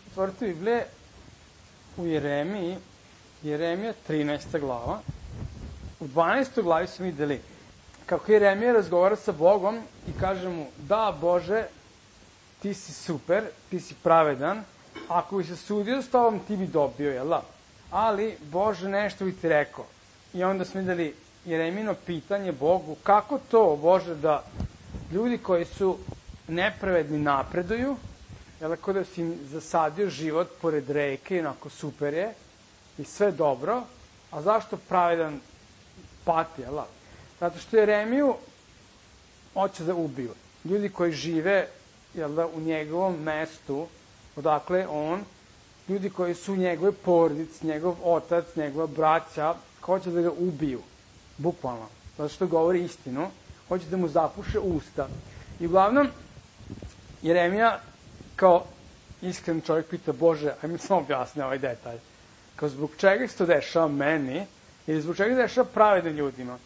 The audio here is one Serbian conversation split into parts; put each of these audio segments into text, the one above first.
otvorite Biblije u Jeremiji, Jeremija 13. glava. U 12. glavi smo videli kako Jeremija razgovara sa Bogom i kaže mu, da Bože, ti si super, ti si pravedan, ako bi se sudio s tobom, ti bi dobio, jel da? Ali, Bože, nešto bi ti rekao. I onda smo videli Jeremino pitanje Bogu, kako to, Bože, da ljudi koji su nepravedni napreduju, jel, ako da si im zasadio život pored reke, onako super je, i sve dobro, a zašto pravedan pati, jel? Zato što Jeremiju hoće da ubiju. Ljudi koji žive, jel da, u njegovom mestu, odakle on, ljudi koji su u njegove porodici, njegov otac, njegova braća, hoće da ga ubiju, bukvalno, zato što govori istinu, hoće da mu zapuše usta. I uglavnom, Jeremija, kao iskren čovjek, pita, Bože, ajme samo objasne ovaj detalj. Kao, zbog čega se to dešava meni, ili zbog čega se dešava pravednim ljudima?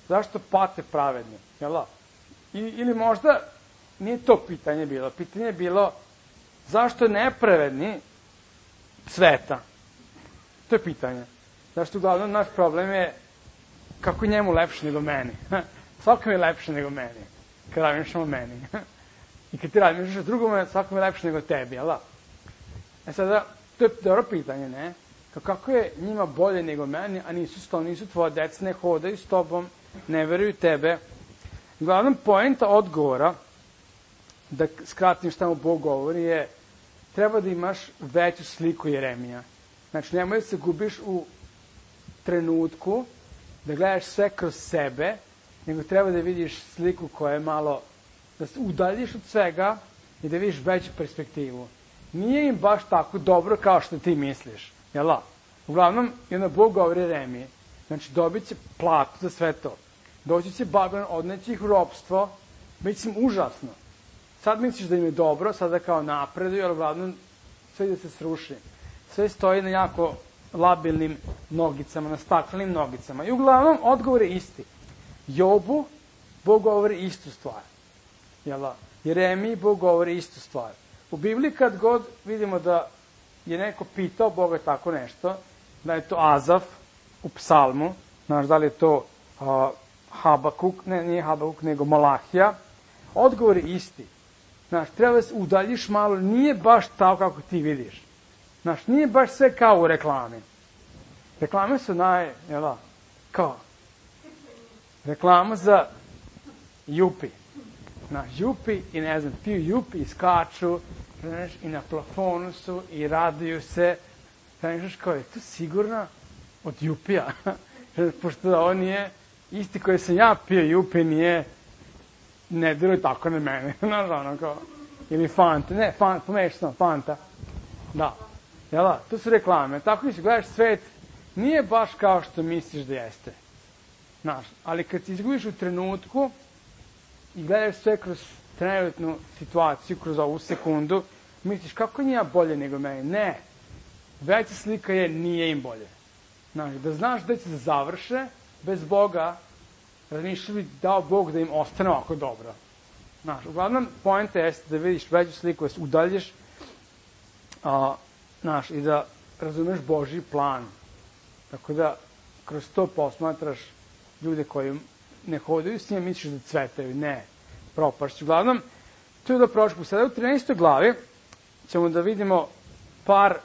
Zašto pate pravedni? Jel da? Ili možda nije to pitanje bilo. Pitanje je bilo, zašto nepravedni cveta? To je pitanje. Zašto uglavnom naš problem je kako je njemu lepše nego meni. Svakom je lepše nego meni. Kad razmišljamo o meni. I kad ti razmišljaš o drugome, svakom je lepše nego tebi, jel da? Sada, to je dobro pitanje, ne? Kako je njima bolje nego meni, a nisu tvoje deca, ne hodaju s tobom, ne veruju tebe. Uglavnom, poenta odgovora, da skratim šta mu Bog govori, je treba da imaš veću sliku Jeremija. Znači, nemoj da se gubiš u trenutku, da gledaš sve kroz sebe, nego treba da vidiš sliku koja je malo, da se udaljiš od svega i da vidiš veću perspektivu. Nije im baš tako dobro kao što ti misliš, jel da? Uglavnom, i onda Bog govori Jeremiji, znači dobit će platu za sve to. Doći će Babilon, odneći ih u ropstvo, bit će im užasno. Sad misliš da im je dobro, sada kao napreduju, ali uglavnom sve da se sruši. Sve stoji na jako labilnim nogicama, na staklenim nogicama. I uglavnom, odgovor je isti. Jobu, Bog govori istu stvar. Jeremiji, Bog govori istu stvar. U Bibliji kad god vidimo da je neko pitao Boga tako nešto, da je to Azaf u psalmu, znaš da li je to Habakuk, ne, nije Habakuk, nego Malahija, odgovor je isti. Znaš, treba da se udaljiš malo, nije baš tako kako ti vidiš. Znaš, nije baš sve kao u reklami. Reklame su kao? Reklama za Jupi. Znaš, Jupi i ne znam, piju Jupi i skaču, znaš, i na plafonu su i raduju se. Znaš, kao je to sigurno od Jupija. Pošto ovo nije isti koji sam ja pio Jupi, nije, ne diruje tako na mene. Znaš, ono kao, ili Fanta, ne, pomeš sam, Fanta. Da, jel da, to su reklame. Tako da si gledaš svet, nije baš kao što misliš da jeste. Znaš, ali kad ti izgubiš u trenutku i gledaš sve kroz trenutnu situaciju, kroz ovu sekundu, misliš kako nije bolje nego meni. Ne, veća slika je nije im bolje. Znaš, da znaš da će se završe bez Boga, razmišljaju bi dao Bog da im ostane ovako dobro. Znaš, uglavnom, poenta jeste da vidiš veću sliku, da se udaljiš, znaš, i da razumeš Božji plan. Tako da, kroz to posmatraš ljude koji ne hodaju s njima, misliš da cvetaju. Ne, propašću. Uglavnom, to je da prošlo. Sada u 13. glavi ćemo da vidimo par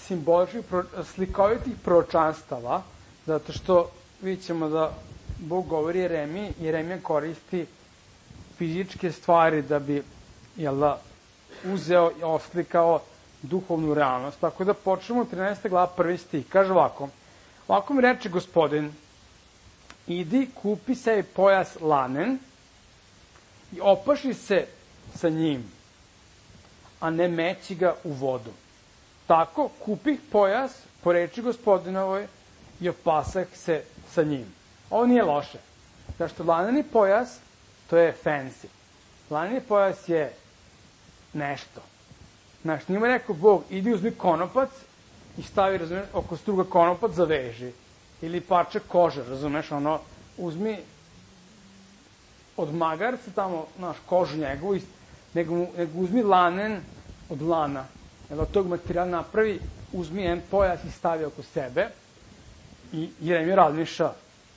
simboličnih, slikovitih proročanstava, zato što vidit ćemo da Bog govori Jeremiji, Jeremija koristi fizičke stvari da bi, uzeo i oslikao duhovnu realnost. Tako da počnemo u 13. glava 1. stih. Kaže ovako, ovako mi reče Gospodin, idi, kupi sebi pojas lanen i opaši se sa njim, a ne meći ga u vodu. Tako kupih pojas po reči Gospodinovoj i opasah se sa njim. Ovo nije loše. Zašto laneni pojas, to je fancy. Laneni pojas je nešto. Znaš, njima rekao Bog, idi uzmi konopac i stavi, razumeš, oko struga konopac zaveži. Ili parče kože, razumeš, ono, uzmi od magarca tamo, znaš, kožu njegovu, nego uzmi lanen od lana od tog materijala napravi, uzmi jedan pojas i stavi oko sebe i Jeremija razmišlja,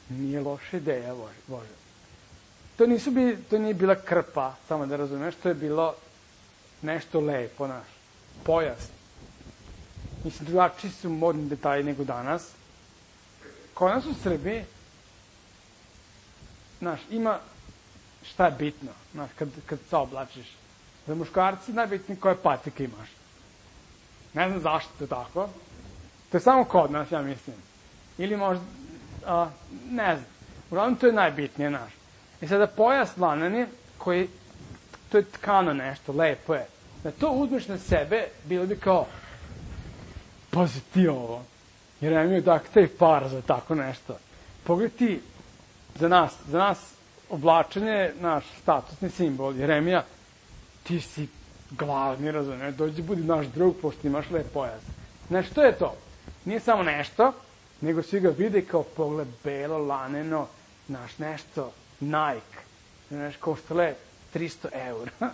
nije loša ideja, Bože. To nije bila krpa, samo da razumeš, to je bilo nešto lepo, naš, pojas. Mislim, drugačiji su modni detalji nego danas. Kod nas u Srbiji, znaš, ima šta je bitno, znaš, kad se oblačiš. Za muškarci najbitnije koje patike imaš. Ne znam zašto to tako. To je samo kod nas, ja mislim. Ili možda, ne znam. Uglavnom to je najbitnije, znaš. I sada pojas lanani, koji, to je tkano nešto, lepo je. Da to uzmeš na sebe, bilo bi kao, pazi ti ovo. Jer ja imaju taj par za tako nešto. Pogledaj ti, za nas oblačenje je naš statusni simbol. Jeremija, ti si glavni, razumiješ, dođi budi naš drug, pošto imaš lep pojas. Znaš, što je to? Nije samo nešto, nego svi ga vide kao pogled belo, laneno, znaš, nešto, Nike, znaš, koštale 300 €.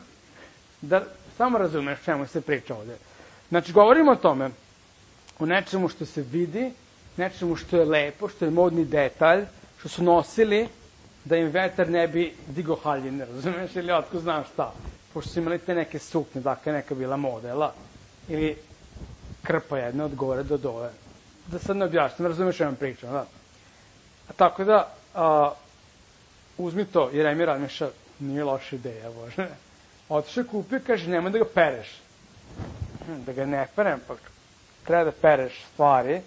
Da samo razumeš čemu se priča ovde. Znači, govorimo o tome, o nečemu što se vidi, nečemu što je lepo, što je modni detalj, što su nosili da im vetar ne bi digo haljine, razumeš, ili otko znam šta. Pošto su imali te neke suknje, dakle neka bila modela, ili krpa jedna od gore do dole. Da sad ne objašnjam, razumeš što vam pričam, da. A tako da, uzmi to, Jeremija razmišlja, nije loša ideja, Bože. Otišao kupio, kaže, nemoj da ga pereš. Da ga ne perem, pa treba da pereš stvari,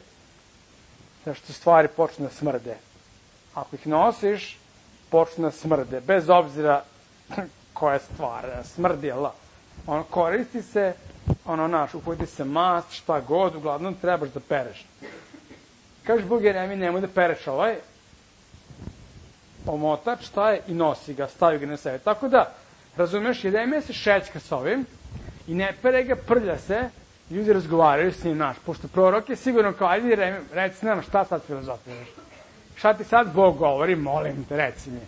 zašto stvari počnu da smrde. Ako ih nosiš, počnu da smrde, bez obzira koja stvar, smrdi, jel da? Ono, koristi se, upojiti se mast, šta god, uglavnom trebaš da pereš. Kaže Bog Jeremiji, nemoj da pereš ovaj omotač, šta je, i nosi ga, stavi ga na sebe. Tako da, razumeš, Jeremija se šećka s ovim i ne pere ga, prlja se, ljudi razgovaraju s njim, naš, pošto prorok je sigurno kao, ajde Jeremija, reci nam šta sad filozofiraš. Šta ti sad Bog govori, molim te, reci mi.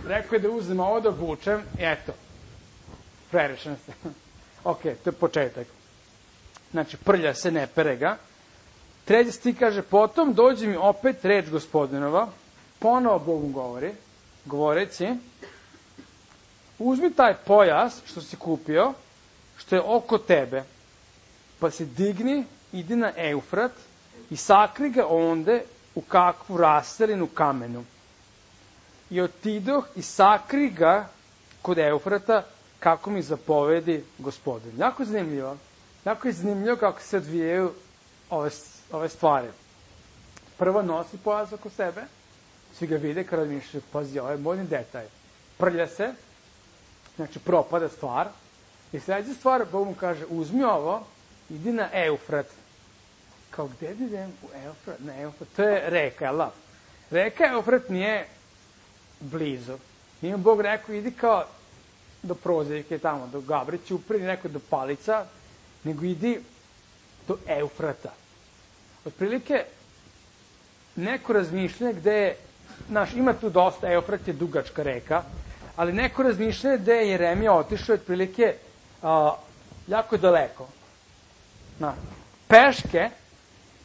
Rekao je da uzem ovo da obučem, i eto, prerešen se. Ok, to je početak. Znači, prlja se, ne pere ga. Treći stih kaže, potom dođe mi opet reč Gospodinova, ponovo Bog mu govori, govoreći, uzmi taj pojas što si kupio, što je oko tebe, pa se digni, idi na Eufrat i sakri ga onde u kakvu raselinu kamenu. I otidoh i sakri ga kod Eufrata kako mi zapovedi Gospodin. Jako zanimljivo. Jako je zanimljivo kako se odvijaju ove stvari. Prvo nosi pojas oko sebe, svi ga vide kada mišlju, pazi, ovo je modni detalj. Prlja se, znači propada stvar, i sledeća stvar, Bog mu kaže, uzmi ovo, idi na Eufrat. Kao, gde da idem u Eufrat? Na Eufrat, to je reka, jel da? Reka Eufrat nije blizu. Nije Bog rekao, idi kao do Prozirke tamo, do Gabrića, upredi neko do Palica, nego idi do Eufrata. Otprilike, neko razmišljanje gde je, znaš, ima tu dosta, Eufrat je dugačka reka, ali neko razmišljanje gde je Jeremija otišao, otprilike, jako daleko. Peške,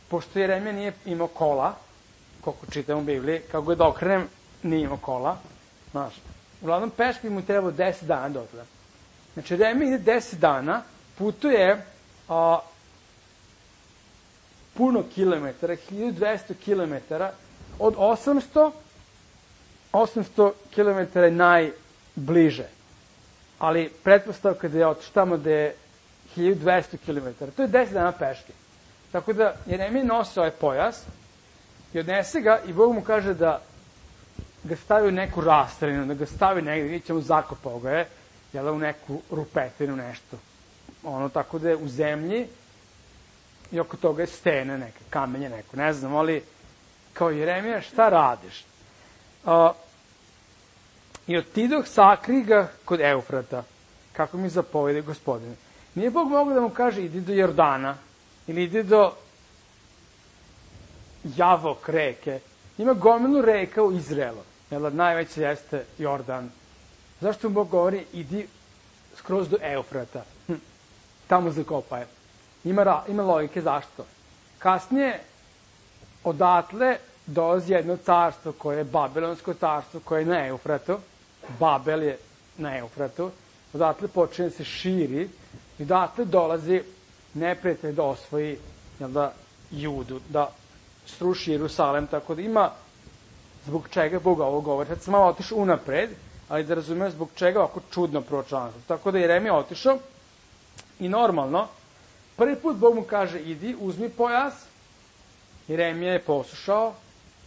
pošto Jeremija nije imao kola, koliko čitam u Bibliji, kako god okrenem, nije imao kola, znaš, uglavnom peške mu trebao 10 dana do tada. Znači, Jeremija ide 10 dana, putuje puno kilometara, 1200 kilometara, od 800 kilometara je najbliže. Ali pretpostavka da je otišao tamo da je 1200 kilometara, to je 10 dana peške. Tako da Jeremija nosi ovaj pojas i odnese ga i Bog mu kaže da ga stavi u neku rastrinu, da ga stavi negdje, vidjet ćemo zakopao ga je, jel, u neku rupetinu, nešto. Ono, tako da je u zemlji i oko toga je stene neke, kamenje neko, ne znam, ali kao Jeremija, šta radiš? I otidoh sakri ga kod Eufrata, kako mi zapovede Gospodine. Nije Bog mogao da mu kaže, idi do Jordana, ili idi do Javok reke. Ima gomilu reka u Izraelu, jer najveća jeste Jordan. Zašto mu Bog govori, idi skroz do Eufrata, tamo zakopaj. Ima logike zašto. Kasnije, odatle dolazi jedno carstvo koje je Babilonsko carstvo, koje je na Eufratu. Babel je na Eufratu. Odatle počinje se širi i odatle dolazi neprijatelj da osvoji Judu, da sruši Jerusalem, tako da ima zbog čega Bog ovo govori. Sad sam malo otišao unapred, ali da razumem zbog čega ovako čudno proročanstvo. Tako da Jeremija otišao i normalno, prvi put Bog mu kaže idi, uzmi pojas, Jeremija je poslušao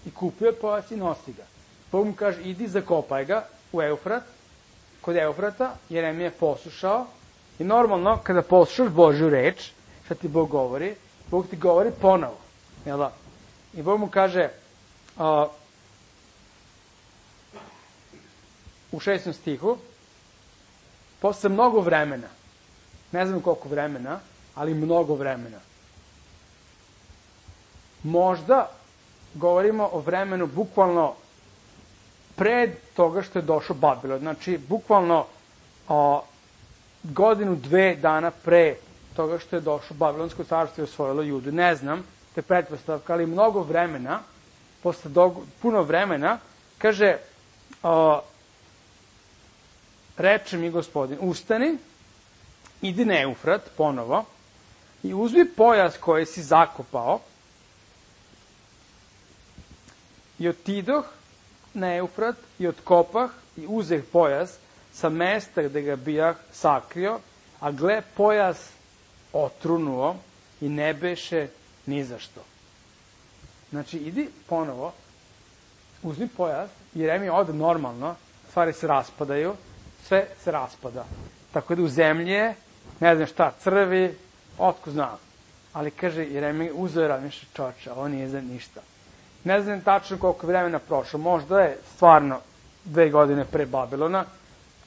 i kupio je pojas i nosi ga. Bog mu kaže idi, zakopaj ga u Eufrat, kod Eufrata, Jeremija je poslušao i normalno kada poslušaš Božju reč, šta ti Bog govori, Bog ti govori ponovo. Jel da? I Bog mu kaže u 6. stihu, posle mnogo vremena, ne znam koliko vremena, ali mnogo vremena. Možda govorimo o vremenu bukvalno pred toga što je došao Babilon. Znači, bukvalno godinu, 2 dana pre toga što je došao Babilonsko carstvo i osvojilo Judu. Ne znam, to je pretpostavka, ali mnogo vremena, posle puno vremena, kaže, reče mi Gospodin, ustani, idi na Eufrat ponovo i uzmi pojas koji si zakopao i otidoh na Eufrat i otkopah i uzeh pojas sa mesta gde ga bijah sakrio, a gle, pojas otrunuo i ne beše ni za što. Znači, idi ponovo, uzmi pojas, Jeremija ode normalno, stvari se raspadaju, sve se raspada. Tako da u zemlji je, ne znam šta, crvi, otko znam. Ali kaže, Jeremija uzeo je razmišlja čoče, ovo nije za ništa. Ne znam tačno koliko vremena prošlo, možda je stvarno 2 godine pre Babilona,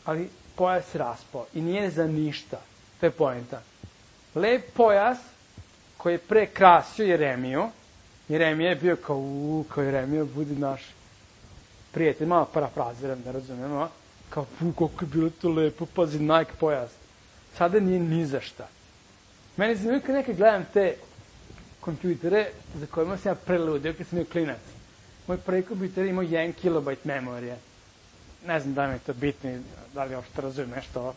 ali pojas se raspao i nije za ništa. To je poenta. Lep pojas koji je pre krasio Jeremiju, Jeremija je bio kao Jeremija, budi naš prijatelj, malo parafraziram, da razumemo, kao, koliko je bilo to lepo, pazi, Nike pojas. Sada nije ni za šta. Meni zanimljivo kad nekad gledam te kompjutere za kojima sam ja preludio kad sam bio klinac. Moj prvi kompjuter imao 1 kilobajt memorije. Ne znam da mi je to bitno, da li uopšte razumijem nešto.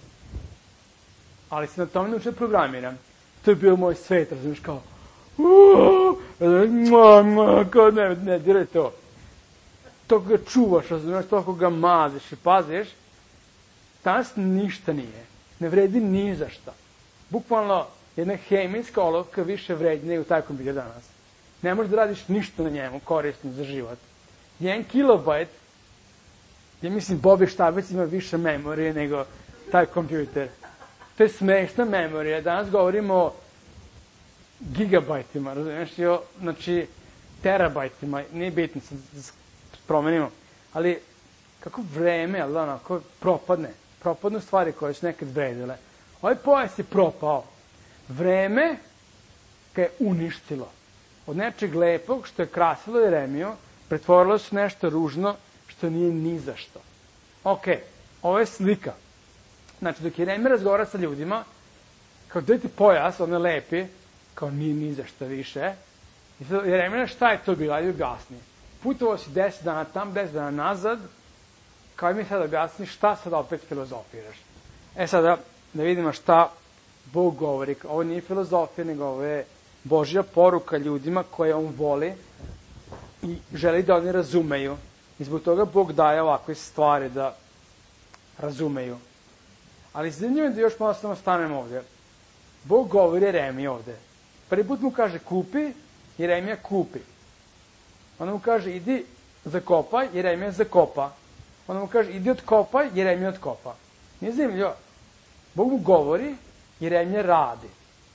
Ali sam na tome naučio da programiram. To je bio moj svet, razumiješ, kao kao ne, diraj to. Toliko ga čuvaš, razumiješ, toliko ga maziš i paziš. Danas ništa nije. Ne vredi ni za šta. Bukvalno, jedna hemijska olovka više vredi nego taj kompjuter danas. Ne možeš da radiš ništa na njemu korisno za život. 1 kilobajt, ja mislim Bobby Štabec ima više memorije nego taj kompjuter. To je smešna memorija. Danas govorimo o gigabajtima, razumiješ? Znači, terabajtima, nije bitno, promenimo. Ali, kako vreme, ali onako, propadnu stvari koje su nekad vredile. Ovaj pojas je propao. Vreme ga je uništilo. Od nečeg lepog što je krasilo Jeremiju, pretvorilo se nešto ružno što nije ni za što. Ok, ovo je slika. Znači, dok Jeremija razgovara sa ljudima, kao dajte pojas, on je lepi, kao nije ni za što više. I sad Jeremija, šta je to bilo? Ajde objasni. Putovao si 10 dana tam, 10 dana nazad, kao mi sad objasni šta sad opet filozofiraš. Sada, da vidimo šta Bog govori. Ovo nije filozofija, nego ovo je Božja poruka ljudima koje on voli i želi da oni razumeju. I zbog toga Bog daje ovakve stvari da razumeju. Ali zanimljivo je da još malo samo stanemo ovdje. Bog govori Jeremiji ovdje. Prvi put mu kaže kupi, Jeremija kupi. Onda mu kaže idi zakopaj, Jeremija zakopa. Onda mu kaže idi otkopaj, Jeremija otkopa. Nije zanimljivo. Bog mu govori, Jeremija radi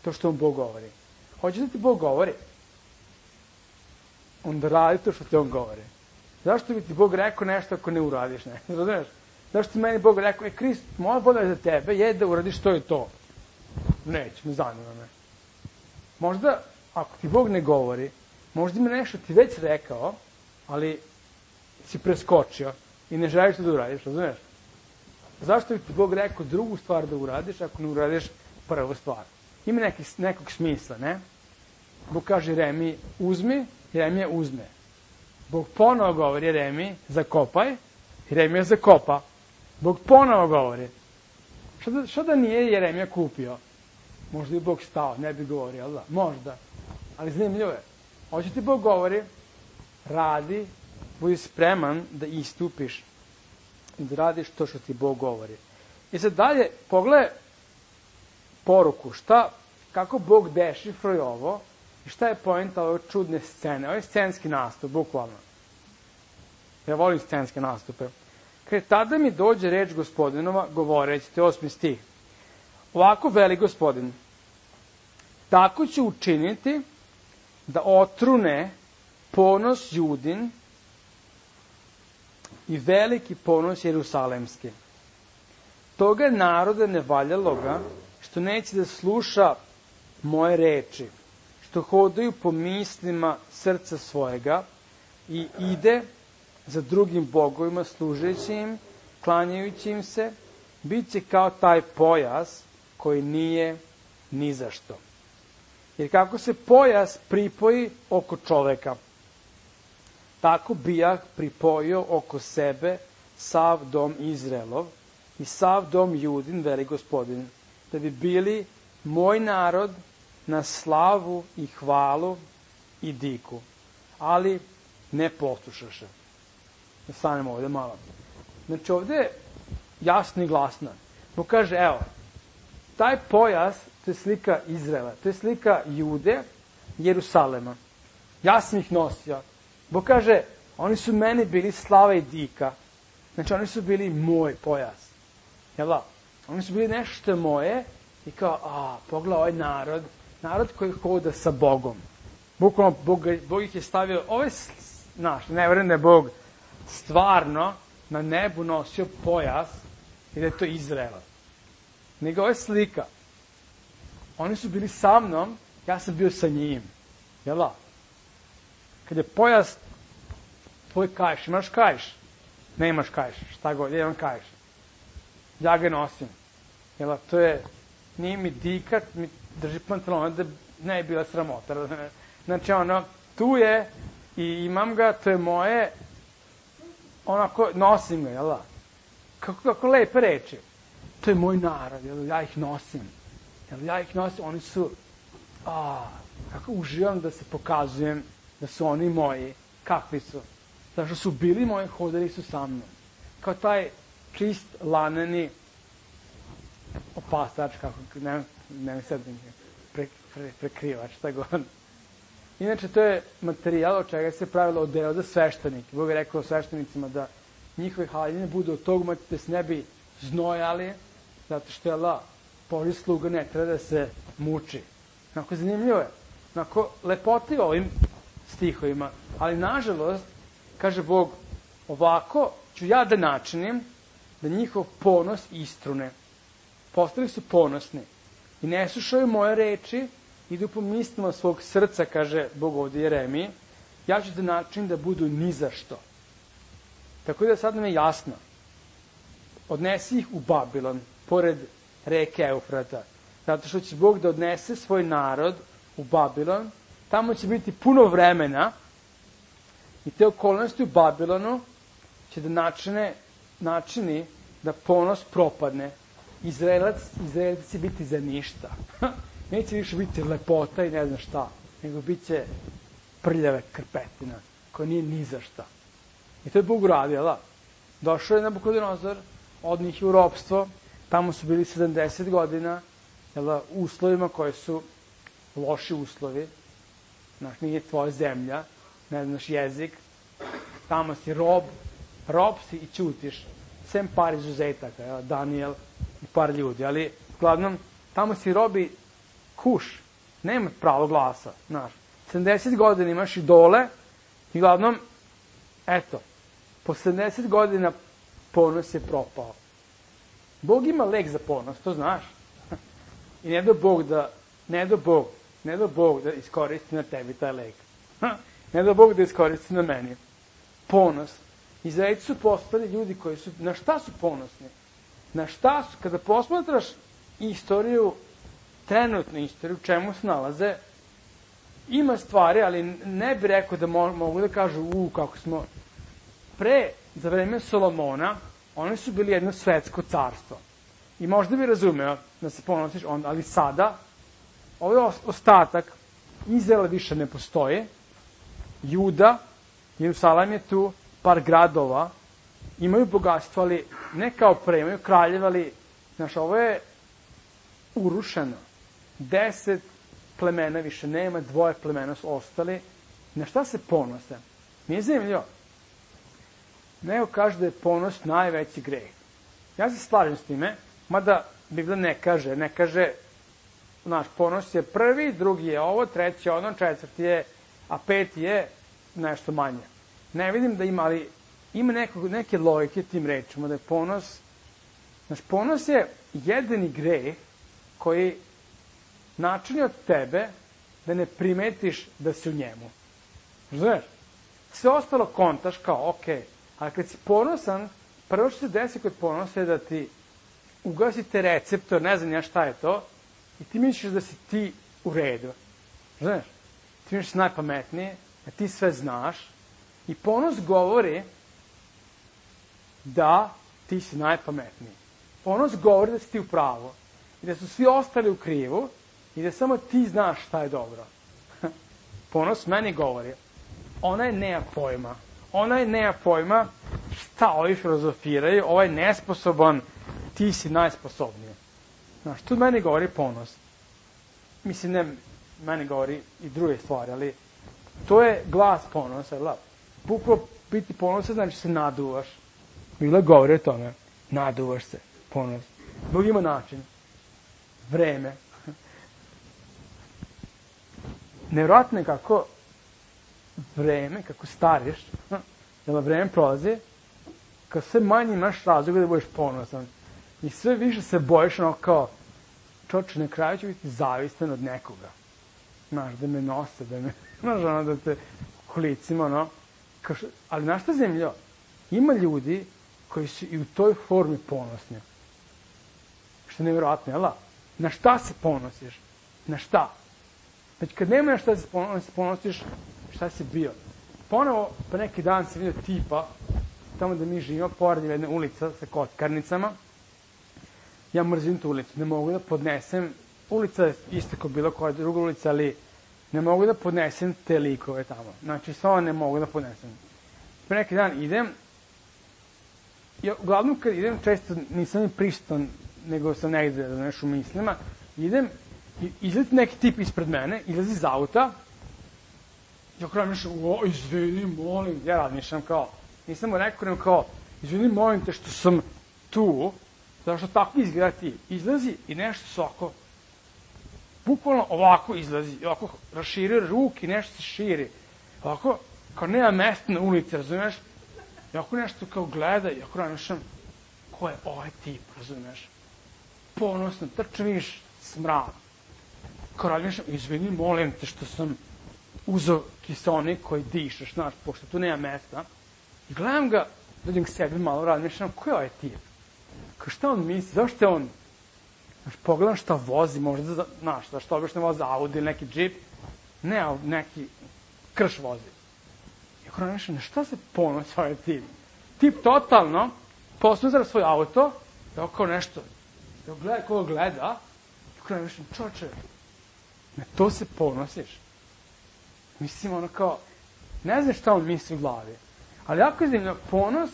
to što mu Bog govori. Hoće da ti Bog govori? Onda radi to što ti on govori. Zašto bi ti Bog rekao nešto ako ne uradiš nešto? Razumiješ? Zašto ti meni Bog rekao, Krist, moja volja je za tebe je da uradiš to i to. Neće, ne zanima me. Možda, ako ti Bog ne govori, možda mi nešto ti već rekao, ali si preskočio i ne želiš to da uradiš, razumiješ? Zašto bi ti Bog rekao drugu stvar da uradiš ako ne uradiš prvu stvar? ima nekog smisla, ne? Bog kaže Jeremiji, uzmi, Jeremija uzme. Bog ponovo govori Jeremiji, zakopaj, Jeremija zakopa. Bog ponovo govori. Što da nije Jeremija kupio? Možda i Bog stao, ne bi govorio, ali da, možda. Ali zanimljivo je. Hoće ti Bog govori, radi, budi spreman da istupiš i da radiš to što ti Bog govori. I sad dalje, pogledaj poruku, kako Bog dešifruje ovo i šta je poenta ove čudne scene. Ovo je scenski nastup, bukvalno. Ja volim scenske nastupe. Kaže, tada mi dođe reč Gospodinova, govoreći, to je 8. stih. Ovako veli Gospodin, tako ću učiniti da otrune ponos Judin i veliki ponos Jerusalemski. Toga naroda nevaljaloga, što neće da sluša moje reči, što hodaju po mislima srca svojega i ide za drugim bogovima, služeći im, klanjajući im se, bit će kao taj pojas koji nije ni za što. Jer kako se pojas pripoji oko čoveka, tako bijah pripojio oko sebe sav dom Izraelov i sav dom Judin, veli Gospodin, da bi bili moj narod na slavu i hvalu i diku. Ali ne poslušaše. Da stanemo ovde malo. Znači ovde je jasno i glasno. Bog kaže, evo, taj pojas, to je slika Izraela, to je slika Jude, Jerusalema. Ja sam ih nosio. Bog kaže, oni su meni bili slava i dika. Znači, oni su bili moj pojas. Jel da? Oni su bili nešto moje i kao, pogledaj ovaj narod koji hoda sa Bogom. Bukvalno, Bog ih je stavio, ne verujem da je Bog stvarno na nebu nosio pojas i da je to Izraela. Nego ovo je slika. Oni su bili sa mnom, ja sam bio sa njim. Jel da? Kad je pojas tvoj kajš, imaš kajš? Ne imaš kajš, šta god, ja imam kajš. Ja ga nosim. Jel da? To je, nije mi dikat, mi drži pantalon, da ne je bila sramota. Znači, tu je i imam ga, to je moje, onako, nosim ga, jel da? Kako lepe reči. To je moj narod, jel da? Ja ih nosim. Jel ja ih nosim, oni su, kako uživam da se pokazujem da su oni moji, kakvi su. Zašto su bili moji, hodali su sa mnom. Kao taj čist, laneni opastač, kako, ne mi sad prekrivač, šta god. Inače, to je materijal od čega se pravilo odeo za sveštenike. Bog je rekao sveštenicima da njihove haljine budu od tog da se ne bi znojali, zato što je Božji sluga ne treba da se muči. Onako zanimljivo je. Onako lepoti ovim stihovima. Ali nažalost, kaže Bog, ovako ću ja da načinim da njihov ponos istrune. Postali su ponosni. I ne slušaju moje reči, idu po mislima svog srca, kaže Bog ovdje Jeremiji, ja ću da načinim da budu ni za što. Tako da sad nam je jasno. Odnesi ih u Babilon, pored reke Eufrata. Zato što će Bog da odnese svoj narod u Babilon, tamo će biti puno vremena i te okolnosti u Babilonu će da načini da ponos propadne. Izraelac će biti za ništa. Neće više biti lepota i ne znam šta, nego bit će prljave krpetina, koja nije ni za šta. I to je Bog uradio, da? Došao je Nabukodonozor, od njih u ropstvo, tamo su bili 70 godina, u uslovima koji su loši uslovi, znaš, nije tvoja zemlja, ne znaš jezik, tamo si rob si i ćutiš, sem par izuzetaka, Daniel i par ljudi, ali, uglavnom, tamo si robi kuš, nema pravo glasa, znaš, 70 godina imaš idole, i uglavnom, eto, po 70 godina ponos je propao. Bog ima lek za ponos, to znaš. I ne do Bog da iskoristi na tebi taj lek. Ne do Bog da iskoristi na meni. Ponos. Izraelci su postali ljudi koji su, na šta su ponosni? Na šta su, kada posmatraš istoriju trenutnu istoriju, u čemu se nalaze, ima stvari, ali ne bi rekao da mogu da kažu, kako smo... za vreme Solomona, oni su bili jedno svetsko carstvo. I možda bi razumeo da se ponosiš onda, ali sada, ovaj ostatak, Izraela više ne postoje, Juda, Jerusalim je tu, par gradova, imaju bogatstvo, ali ne kao pre, imaju kraljeva, ali, znaš, ovo je urušeno. 10 plemena više nema, 2 plemena su ostali. Na šta se ponose? Nije zanimljivo. Neko kaže da je ponos najveći greh. Ja se slažem s time, mada Biblija ne kaže, znaš, ponos je prvi, drugi je ovo, treći je ono, četvrti je, a peti je nešto manje. Ne vidim da ima, ali ima neke logike tim rečima, da je ponos, znaš, ponos je jedini greh koji načini od tebe da ne primetiš da si u njemu. Znaš, sve ostalo kontaš kao, okej, ali kad si ponosan, prvo što se desi kod ponosa je da ti ugasite receptor, ne znam ja šta je to, i ti misliš da si ti u redu. Znaš, ti misliš najpametnije, da ti sve znaš, i ponos govori da ti si najpametniji. Ponos govori da si ti u pravu, i da su svi ostali u krivu, i da samo ti znaš šta je dobro. Ponos meni govori, onaj nema pojma. Onaj nema pojma šta ovi filozofiraju, ovaj je nesposoban, ti si najsposobniji. Znaš, tu meni govori ponos. Mislim, ne, meni govori i druge stvari, ali to je glas ponosa. Bukvalno biti ponosa znači se naduvaš. Bila govori o tome, naduvaš se, ponos. Bog ima način. Vreme. Nevjerojatno je kako vreme, kako stariš, da vreme prolazi, kad sve manje imaš razloga da budeš ponosan. I sve više se bojiš ono kao, čoče, na kraju ću biti zavistan od nekoga. Znaš, da me nose, da me, znaš, ono, da te kolicima, ono. Ali znaš šta zemljo? Ima ljudi koji su i u toj formi ponosni. Što je nevjerojatno, jel da? Na šta se ponosiš? Na šta? Znači, kad nema na šta se ponosiš, šta si bio? Ponovo, pa neki dan sam vidio tipa, tamo da mi živimo, pored jedne ulica sa kockarnicama. Ja mrzim tu ulicu, ne mogu da podnesem, ulica je isto kao bilo koja druga ulica, ali ne mogu da podnesem te likove tamo. Znači, samo ne mogu da podnesem. Pa neki dan idem, ja, uglavnom kad idem, često nisam ni prisutan, nego sam negde, znaš, u mislima, idem, izleti neki tip ispred mene, izlazi iz auta, ja kao razmišljam, izvini, molim, ja razmišljam kao, nisam mu rekao, nego kao, izvini, molim te što sam tu, zato što tako izgleda ti. Izlazi i nešto se ovako, bukvalno ovako izlazi, ovako raširio ruk i nešto se širi. Ovako, kao nema mesta na ulici, razumeš? I ovako nešto kao gleda i ovako razmišljam, ko je ovaj tip, razumeš? Ponosno, trčem vidiš smrad. Kao razmišljam, izvini, molim te što sam uzeo kiseonik koji dišeš, znaš, pošto tu nema mesta. I gledam ga, dođem k sebi malo, razmišljam, ko je ovaj tip? Kao šta on misli, zašto je on, znaš, pogledam šta vozi, možda, znaš, zašto obično vozi Audi ili neki džip, ne, ali neki krš vozi. I ako razmišljam, na šta se ponosi ovaj tip? Tip totalno posuzara svoj auto, da kao nešto, da gleda koga gleda, i ako razmišljam, čoče, na to se ponosiš. Mislim, ono kao, ne znam šta on misli u glavi, ali jako je zanimljivo, ponos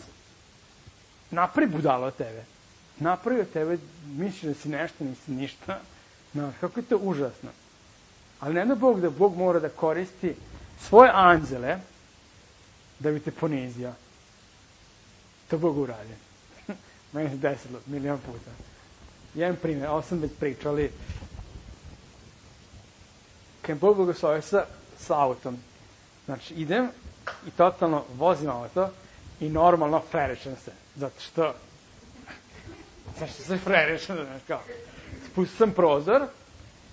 napravi budalo od tebe. Napravi od tebe, misliš da si nešto, nisi ništa. Znaš, kako je to užasno. Ali ne da Bog mora da koristi svoje anđele da bi te ponizio. To Bog uradi. Meni se desilo milion puta. Jedan primjer, ovo sam već pričao, ali kad Bog blagoslovio sa autom, znači idem i totalno vozim auto i normalno frerišem se, zato što se frerišem, znaš kao, spustim sam prozor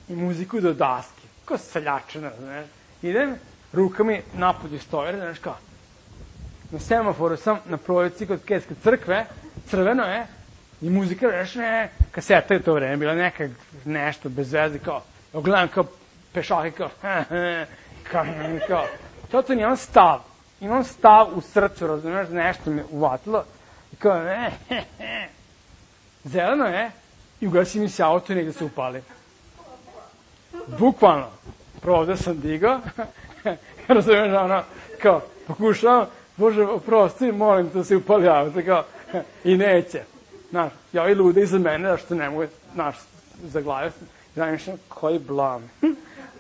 i muziku do daske, kao seljačina, znaš, idem, ruka mi napolju stoje, znaš kao, na semaforu sam na prolici kod Keske crkve, crveno je, i muzika, znaš, kaseta je to vreme, bila neka nešto bez veze, kao, gledam kao pešake, kao, to imam stav u srcu, razumiješ, nešto me uvatilo, i kao, zeleno je, i ugasi mi se auto i negde se upali. Bukvalno, prvo ovde sam digao, razumiješ, ono, kao, pokušavam, Bože, oprosti, molim da se upali auto, kao, i neće. Znaš, i ovi lude iza mene, da što ne mogu, znaš, zaglavio sam, znaš, koji blam.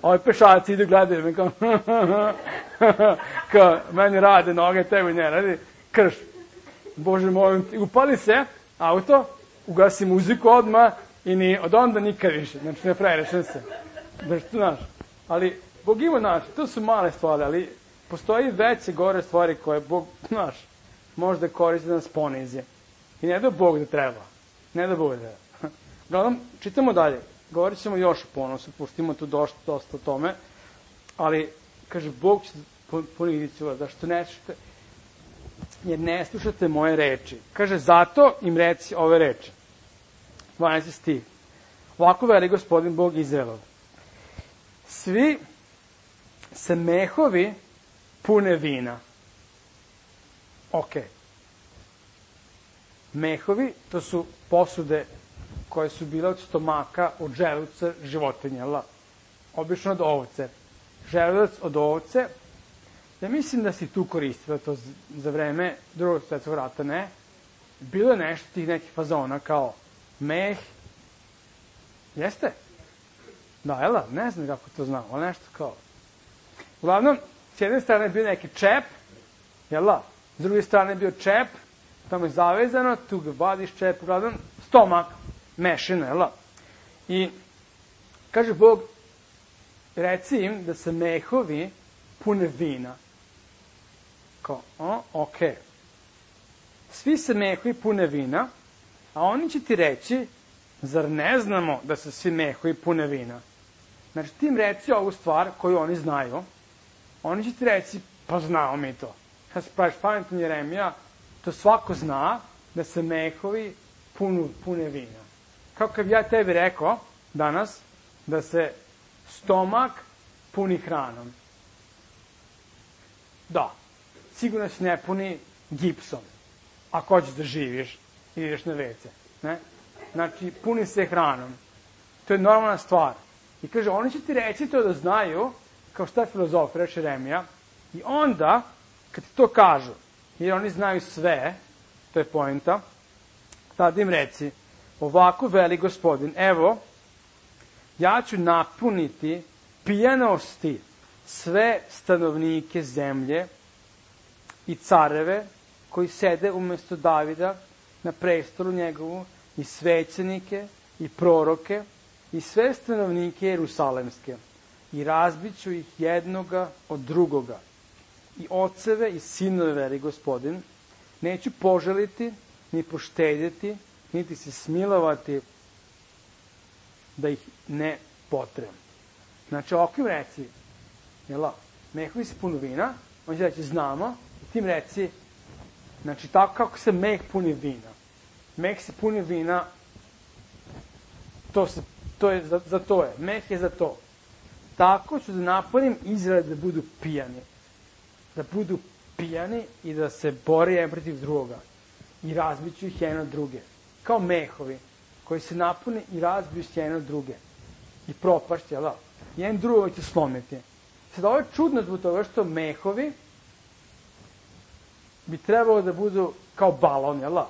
Ovi pešaci idu, gledaju me, kao, meni rade noge, tebi ne radi, krš. Bože, molim ti, upali se, auto, ugasi muziku odmah i od onda nikad više, znači ne frajrešem se. Znaš, ali Bog ima, znaš, to su male stvari, ali postoji veće gore stvari koje Bog, znaš, možda koristi da nas ponizi. I ne da Bog da treba. Ne da Bog da treba. Gledam, čitamo dalje. Govorit ćemo još o ponosu, pustimo tu dosta o tome, ali, kaže, Bog će poniziti vas, zašto ne slušate, jer ne slušate moje reči. Kaže, zato im reci ove reči. 12. stih. Ovako veli Gospodin Bog Izraelov. Svi se mehovi pune vina. Mehovi, to su posude koje su bile od stomaka, od želuca životinja, obično od ovce. Želudac od ovce, ja mislim da si tu koristila to za vreme Drugog svetskog rata, ne? Bilo je nešto tih nekih fazona kao meh, jeste? Da, jel da? Ne znam kako to znam, ali nešto kao. Uglavnom, s jedne strane je bio neki čep, jel da? S druge strane je bio čep, tamo je zavezano, tu ga vadiš čep, uglavnom, stomak, mešina, jel da? I, kaže Bog, reci im da se mehovi pune vina. Kao, Svi se mehovi pune vina, a oni će ti reći, zar ne znamo da se svi mehovi pune vina? Znači, ti im reci ovu stvar koju oni znaju, oni će ti reći, pa znamo mi to. Kad se praviš pametan Jeremija, to svako zna da se mehovi pune vina. Kao kad ja tebi rekao danas da se stomak puni hranom. Da, sigurno se ne puni gipsom, ako hoćeš da živiš i ideš na WC. Ne? Znači, puni se hranom. To je normalna stvar. I kaže, oni će ti reći to da znaju, kao šta je filozof, reče Jeremija, i onda, kad ti to kažu, jer oni znaju sve, to je poenta, tada im reci, ovako veli Gospodin, evo, ja ću napuniti pijanosti sve stanovnike zemlje i careve koji sede umesto Davida na prestolu njegovu, i svećenike, i proroke, i sve stanovnike Jerusalemske, i razbiću ih jednoga od drugoga, i oceve i sinove veli Gospodin, neću poželiti, ni poštedjeti, niti se smilovati da ih ne potrem. Znači, ovako im reci, mehovi se punu vina, on će reći, znamo, i ti im reci, znači, tako kako se meh puni vina. Meh se puni vina, za to je, meh je za to. Tako ću da napunim Izrael da budu pijani. Da budu pijani i da se bore jedan protiv drugoga. I razbiću ih jedno od druge. Kao mehovi koji se napune i razbiju s jedno od druge. I propašće, jel da? Jedan drugo će slomiti. Sad, ovo je čudno zbog toga što mehovi bi trebalo da budu kao balon, jel da?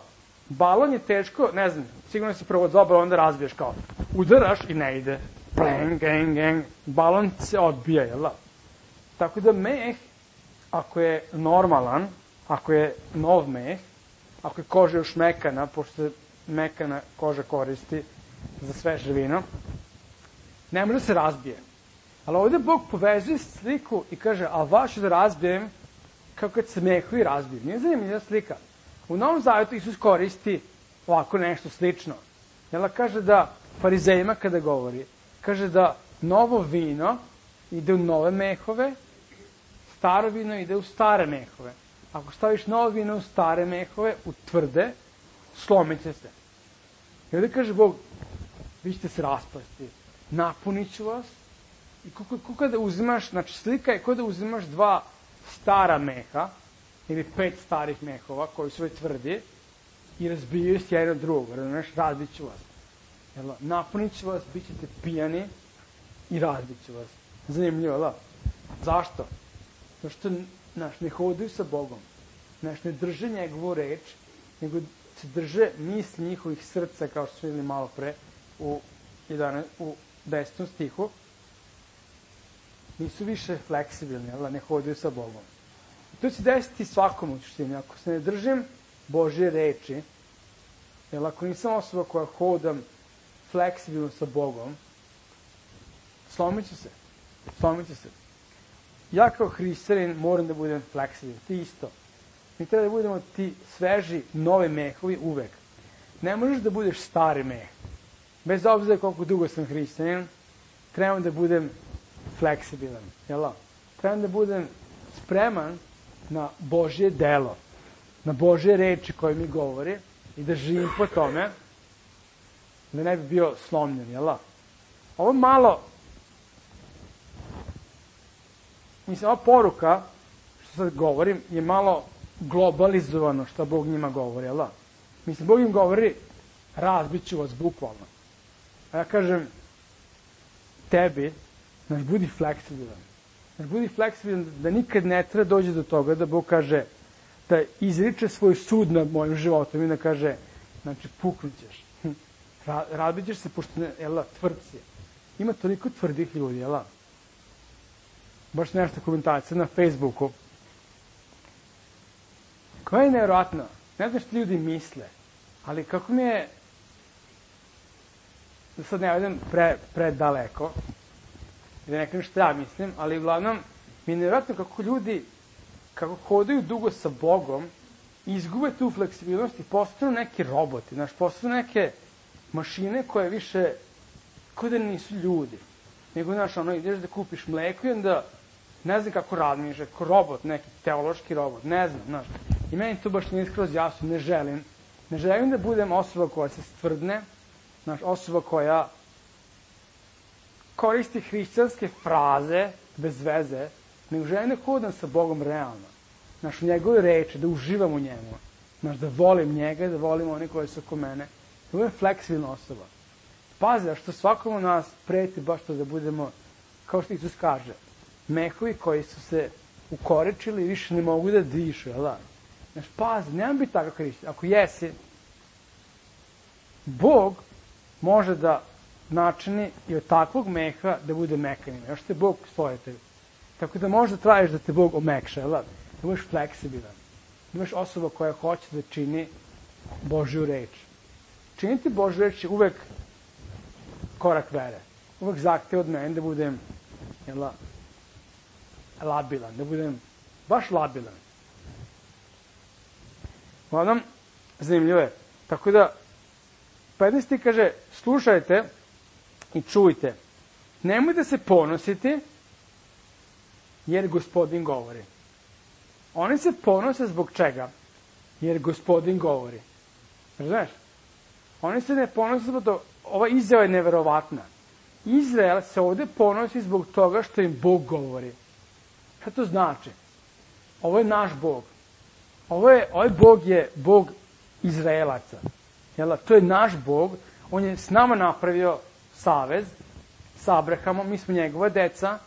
Balon je teško, ne znam, sigurno si prvo dva balona razbiješ kao, udaraš i ne ide. Pleng, geng, geng, balon se odbija, jel da? Tako da meh, ako je normalan, ako je nov meh, ako je koža još mekana, pošto se mekana koža koristi za sveže vino, ne može se razbije. Ali ovde Bog povezuje sliku i kaže, a vaš da razbijem kao kad se mehovi razbiju. Nije zanimljiva slika. U Novom Zavetu Isus koristi ovako nešto slično. Jel kaže da farizejima kada govori, kaže da novo vino ide u nove mehove, staro vino ide u stare mehove. Ako staviš novo vino u stare mehove, u tvrde, slomit će se. I ovdje kaže Bog, vi ćete se raspasti. Napunit ću vas. I kako da uzimaš, znači slika je kao da uzimaš 2 stara meha, ili 5 starih mehova, koji su već tvrdi, i razbijaju se jedan od drugog, razumeš, razbit ću vas. Jel, napunit ću vas, bit ćete pijani i razbit ću vas. Zanimljivo, jel? Zašto? Zato što, znaš, ne hodaju sa Bogom. Znaš, ne drže njegovu reč, nego se drže misli njihovih srca, kao što smo videli malo pre, u 10. stihu. Nisu više fleksibilni, jel? Ne hodaju sa Bogom. I to će desiti svakom u suštini. Ako se ne držim Božje reči, jel, ako nisam osoba koja hodam fleksibilno sa Bogom, slomit ću se. Ja kao hrišćanin moram da budem fleksibilan, ti isto. Mi treba da budemo ti sveži, novi mehovi uvek. Ne možeš da budeš stari meh. Bez obzira koliko dugo sam hrišćanin, trebam da budem fleksibilan, jel? Trebam da budem spreman na Božje delo, na Božje reči koje mi govori i da živim po tome, da ne bi bio slomljen, jel? Ovo malo, mislim, ova poruka, što sad govorim, je malo globalizovano što Bog njima govori, jel? Mislim, Bog im govori, razbit ću vas bukvalno. A ja kažem, tebi, znaš, budi fleksibilan. Znaš, budi fleksibilan da nikad ne treba dođe do toga da Bog kaže, da izriče svoj sud nad mojim životom i da kaže, znači, puknut ćeš. Razbit ćeš se, pošto, jel, tvrd si. Ima toliko tvrdih ljudi, jel? Baš nešto komentacija na Facebooku. Koja je nevjerojatno? Ne znam što ljudi misle, ali kako mi je, da sad ne idem predaleko, da ne kažem što ja mislim, ali uglavnom mi je nevjerojatno kako ljudi, kako hodaju dugo sa Bogom, izgube tu fleksibilnost i postanu neki roboti, znaš, postanu neke mašine koje više, kao da nisu ljudi. Nego, znaš, ono, ideš da kupiš mleko i onda ne znam kako razmišlja, kao robot, neki teološki robot, ne znam, znaš. I meni to baš nije skroz jasno, ne želim da budem osoba koja se stvrdne, znaš, osoba koja koristi hrišćanske fraze bez veze, nego želim da hodam sa Bogom realno. Znaš, u njegove reči, da uživam u njemu. Znaš, da volim njega, da volim one koji su oko mene. Da budem fleksibilna osoba. Pazi, što svakom od nas preti baš to da budemo, kao što Isus kaže, mehovi koji su se ukorečili i više ne mogu da dišu, jel da? Znaš, pazi, nemam biti takav hrišćan. Ako jesi, Bog može da načini i od takvog meha da bude mekanim. Još te Bog stvoritelj. Tako da možda tražiš da te Bog omekša, jel da? Da budeš fleksibilan. Da budeš osoba koja hoće da čini Božju reč. Činiti Božju reč je uvek korak vere. Uvek zahteva od mene da budem, jel da, labilan, da budem baš labilan. Uglavnom, zanimljivo je. Tako da, 15. kaže, slušajte i čujte. Nemojte se ponositi, jer Gospodin govori. Oni se ponose zbog čega? Jer Gospodin govori. Razumeš? Oni se ne ponose zbog toga. Ova izjava je neverovatna. Izrael se ovde ponosi zbog toga što im Bog govori. Šta to znači? Ovo je naš Bog. Ovaj Bog je Bog Izraelaca. Jel, to je naš Bog. On je s nama napravio savez sa Abrahamom. Mi smo njegova deca.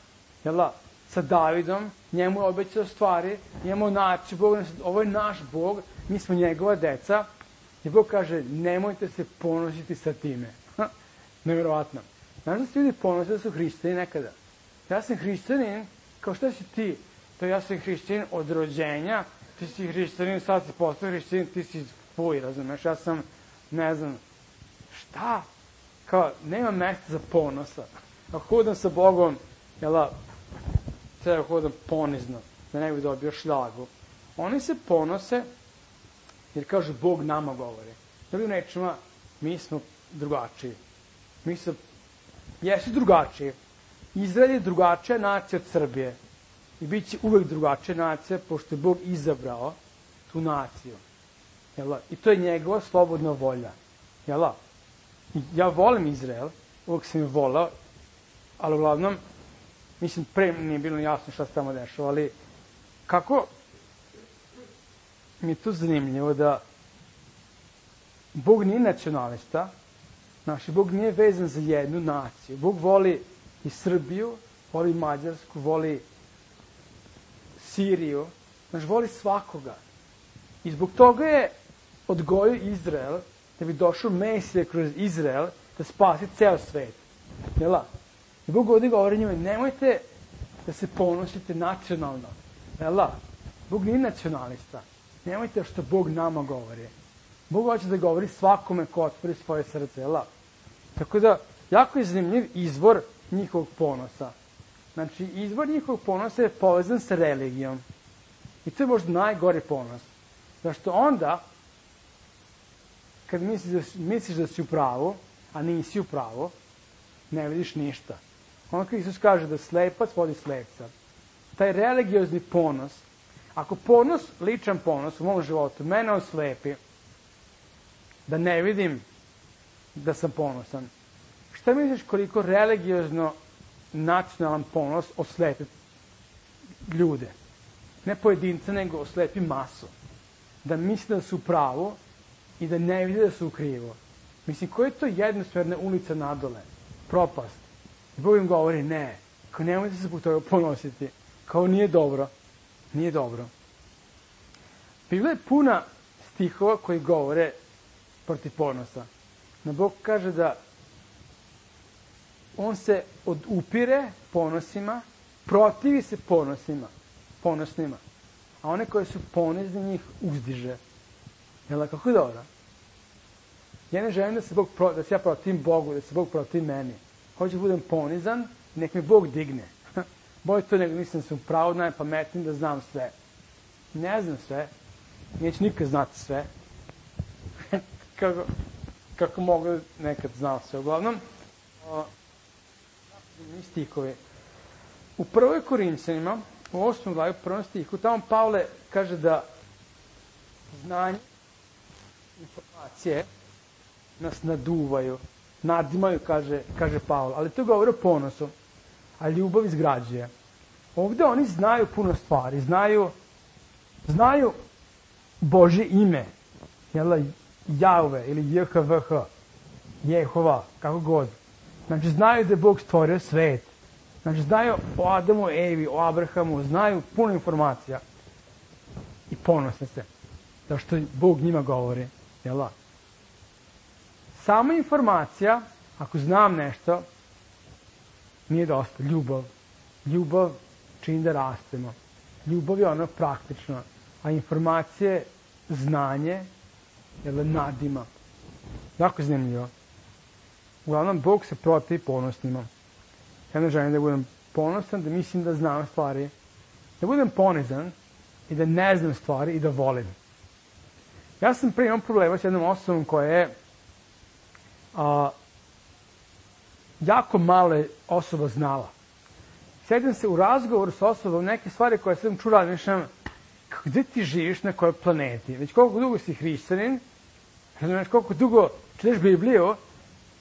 Jel, sa Davidom. Njemu je obećao stvari. Njemu naciju Bog. Ovo je naš Bog. Mi smo njegova deca. I Bog kaže, nemojte se ponositi sa time. Nevjerovatno. Znaš da se ljudi ponose da su hrišćani nekada? Ja sam hrišćanin, kao šta si ti? To ja sam hrišćanin od rođenja, ti si hrišćanin, sad si postao hrišćanin, ti si fuj, razumeš? Ja sam, ne znam, šta? Kao, nema mesta za ponosa. Ako hodam sa Bogom, jela, treba hodam ponizno, da ne bi dobio šljagu. Oni se ponose, jer kažu, Bog nama govori. Drugim rečima, mi smo drugačiji. Mi smo, jesu drugačiji. Izrael je drugačija nacija od Srbije. I bit će uvek drugačija nacija, pošto je Bog izabrao tu naciju. Jel? I to je njegova slobodna volja. Jel? ja volim Izrael, uvijek sam je volao, ali uglavnom, mislim, pre nije bilo jasno šta se tamo dešava, ali kako mi je tu zanimljivo da Bog nije nacionalista, znači, Bog nije vezan za jednu naciju. Bog voli i Srbiju, voli Mađarsku, voli Siriju, znači, voli svakoga. I zbog toga je odgojio Izrael, da bi došao Mesija kroz Izrael, da spasi ceo svet. Jela? I Bog ovdje govori njima, nemojte da se ponosite nacionalno. Jela? Bog nije nacionalista. Nemojte što Bog nama govori. Bog hoće da govori svakome ko otvori svoje srce. Jela? Tako da, jako je zanimljiv izvor njihovog ponosa. Znači, izvor njihovog ponosa je povezan sa religijom. I to je možda najgori ponos. Zašto onda, kad misliš da si u pravu, a nisi u pravu, ne vidiš ništa. Onda kad Isus kaže da slepac vodi slepca, taj religiozni ponos, ako ponos, ličan ponos u mom životu, mene oslepi, da ne vidim da sam ponosan, šta misliš koliko religiozno nacionalan ponos oslepi ljude? Ne pojedinca, nego oslepi masu. Da misle da su u pravu i da ne vide da su u krivo. Mislim, koja je to jednosmerna ulica nadole? Propast. I Bog im govori, ne, kao nemojte se zbog toga ponositi. Kao nije dobro. Nije dobro. Biblia je puna stihova koji govore protiv ponosa. No Bog kaže da on se odupire ponosima, protivi se ponosnima. A one koje su ponizni njih uzdiže. Jel, kako je dobro? Ja ne želim da se ja protivim Bogu, da se Bog protivi meni. Hoću da budem ponizan, nek me Bog digne. Bolje to nego mislim da sam pravo, najpametniji, da znam sve. Ne znam sve. Neću nikad znati sve. kako mogu nekad znao sve. Uglavnom, stihove. U 1. Korinćanima, u 8. glavi, u 1. stihu, tamo Pavle kaže da znanje, informacije nas naduvaju, nadimaju, kaže Pavle. Ali to govori o ponosu, a ljubav izgrađuje. Ovde oni znaju puno stvari, znaju Božje ime, Jahve ili JHVH, Jehova, kako god. Znači, znaju da je Bog stvorio svet. Znači, znaju o Adamu, Evi, o Abrahamu, znaju puno informacija. I ponosne se. Zašto Bog njima govori. Jel' Sama informacija, ako znam nešto, nije dosta. Ljubav. Ljubav čini da rastemo. Ljubav je ono praktično. A informacije, znanje, nadima. Jako zanimljivo. Uglavnom, Bog se protivi ponosnima. Ja ne želim da budem ponosan, da mislim da znam stvari. Da budem ponizan i da ne znam stvari i da volim. Ja sam prije imao problema s jednom osobom koja je jako malo osoba znala. Sjedim se u razgovoru s osobom neke stvari koje sam čula, nešto, gde ti živiš, na kojoj planeti? Već koliko dugo si hrišćanin, koliko dugo čitaš Bibliju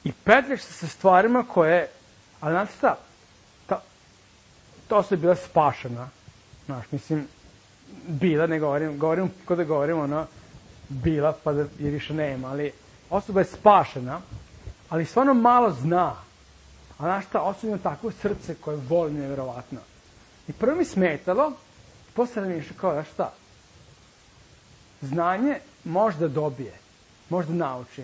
i petljaš se sa stvarima koje, ali znate šta, ta osoba je bila spašena. Znaš, mislim, bila, ne govorim kao da govorim, bila, pa da je više nema, ali osoba je spašena, ali stvarno malo zna. A znaš šta, osoba ima takvo srce koje voli nevjerovatno. I prvo mi smetalo, posle mi išao kao, znaš šta, znanje možda dobije, možda nauči,